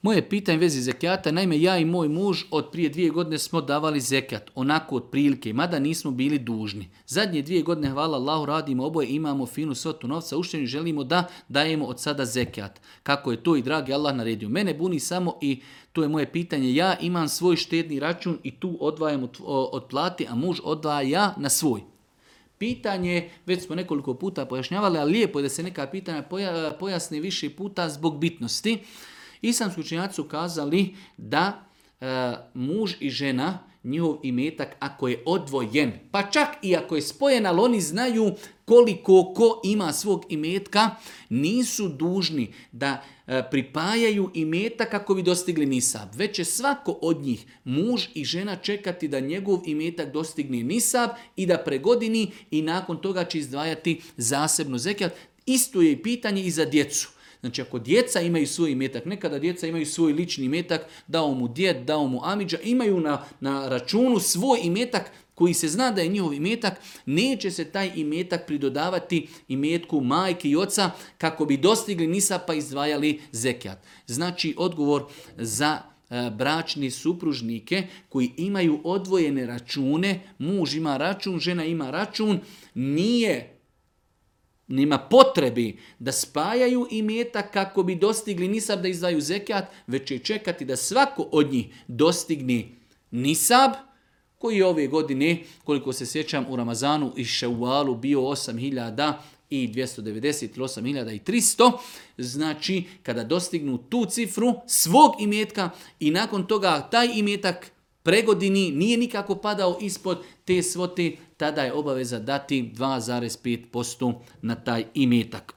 Moje pitanje u vezi zekijata, naime ja i moj muž od prije 2 godine smo davali zekijat, onako od prilike, mada nismo bili dužni. Zadnje 2 godine, hvala Allahu, radimo oboje, imamo finu svotu novca, uštenju želimo da dajemo od sada zekijat. Kako je to i dragi Allah naredio. Mene buni samo i to je moje pitanje, ja imam svoj štedni račun i tu odvajam od plati, a muž odvaja na svoj. Pitanje, već smo nekoliko puta pojašnjavali, ali lijepo je da se neka pitanja pojasne više puta zbog bitnosti. Islamski učenjaci su kazali da muž i žena, njihov imetak, ako je odvojen, pa čak i ako je spojen, ali oni znaju koliko ko ima svog imetka, nisu dužni da pripajaju imetak kako bi dostigli nisab. Već će svako od njih, muž i žena, čekati da njegov imetak dostigne nisab i da pregodini i nakon toga će izdvajati zasebno zekijat. Isto je i pitanje i za djecu. Znači ako djeca imaju svoj imetak, nekada djeca imaju svoj lični imetak, dao mu djed, dao mu amidža, imaju na računu svoj imetak koji se zna da je njihov imetak, neće se taj imetak pridodavati imetku majke i oca kako bi dostigli nisab pa izdvajali zekijat. Znači odgovor za bračni supružnike koji imaju odvojene račune, muž ima račun, žena ima račun, nema potrebi da spajaju imetak kako bi dostigli nisab da izdvaju zekijat, već će čekati da svako od njih dostigne nisab, koji je ove godine, koliko se sjećam, u Ramazanu i Ševalu bio 8.290 ili 8.300. Znači, kada dostignu tu cifru svog imetka i nakon toga taj imetak pregodini nije nikako padao ispod te svote, tada je obaveza dati 2,5% na taj imetak.